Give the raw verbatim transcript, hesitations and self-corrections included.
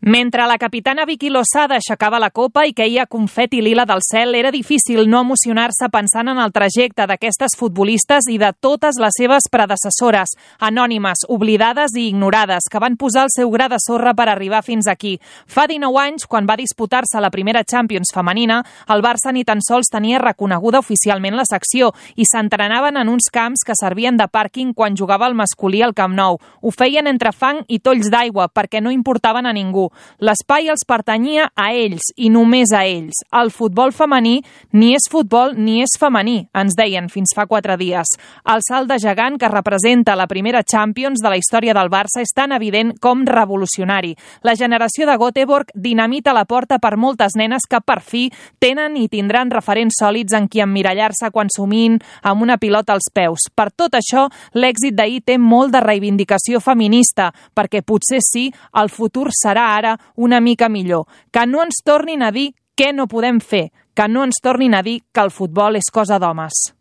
Mentre la capitana Vicky Losada aixecava la copa i queia confeti lila del cel, era difícil no emocionar-se pensant en el trajecte d'aquestes futbolistes i de totes les seves predecessores, anònimes, oblidades i ignorades, que van posar el seu gra de sorra per arribar fins aquí. Fa dinou anys, quan va disputar-se la primera Champions femenina, el Barça ni tan sols tenia reconeguda oficialment la secció i s'entrenaven en uns camps que servien de pàrquing quan jugava el masculí al Camp Nou. Ho feien entre fang i tolls d'aigua perquè no importaven a ningú. L'espai els pertanyia a ells i només a ells. El futbol femení ni és futbol ni és femení, ens deien fins fa quatre dies. El salt de gegant que representa la primera Champions de la història del Barça és tan evident com revolucionari. La generació de Göteborg dinamita la porta per moltes nenes que per fi tenen i tindran referents sòlids en qui emmirallar-se quan somin amb una pilota als peus. Per tot això, l'èxit d'ahir té molt de reivindicació feminista, perquè potser sí, el futur serà ara una mica millor. Que no ens tornin a dir què no podem fer, que no ens tornin a dir que el futbol és cosa d'homes.